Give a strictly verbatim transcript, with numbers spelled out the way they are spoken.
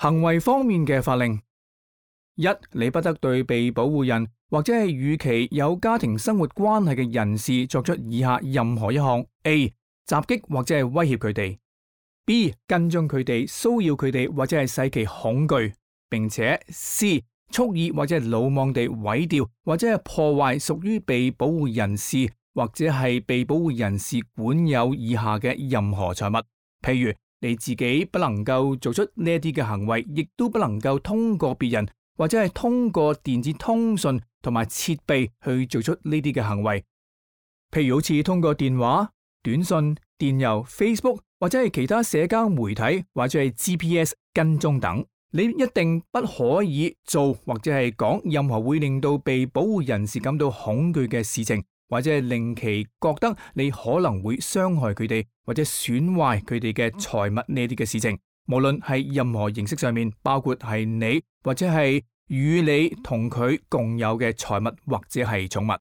行為方面嘅法令：一，你不得對被保護人或者係與其有家庭生活關係嘅人士作出以下任何一項 ：A. 襲擊或者係威脅佢哋 ；B. 跟蹤佢哋、騷擾佢哋或者係使其恐懼，並且 C. 蓄意或者係魯莽地毀掉或者係破壞屬於被保護人士或者係被保護人士管有以下嘅任何財物，譬如你自己不能夠做出呢一啲嘅行為，亦都不能夠通過別人或者係通過電子通訊同埋設備去做出呢啲嘅行為，譬如好似通過電話、短信、電郵、Facebook 或者係其他社交媒體或者係 G P S 跟蹤等。你一定不可以做或者係講任何會令到被保護人士感到恐懼嘅事情，或者係令其覺得你可能會傷害佢哋或者損壞佢哋嘅財物呢啲嘅事情。無論係任何形式上面，包括係你或者係與你同佢共有嘅財物或者係寵物。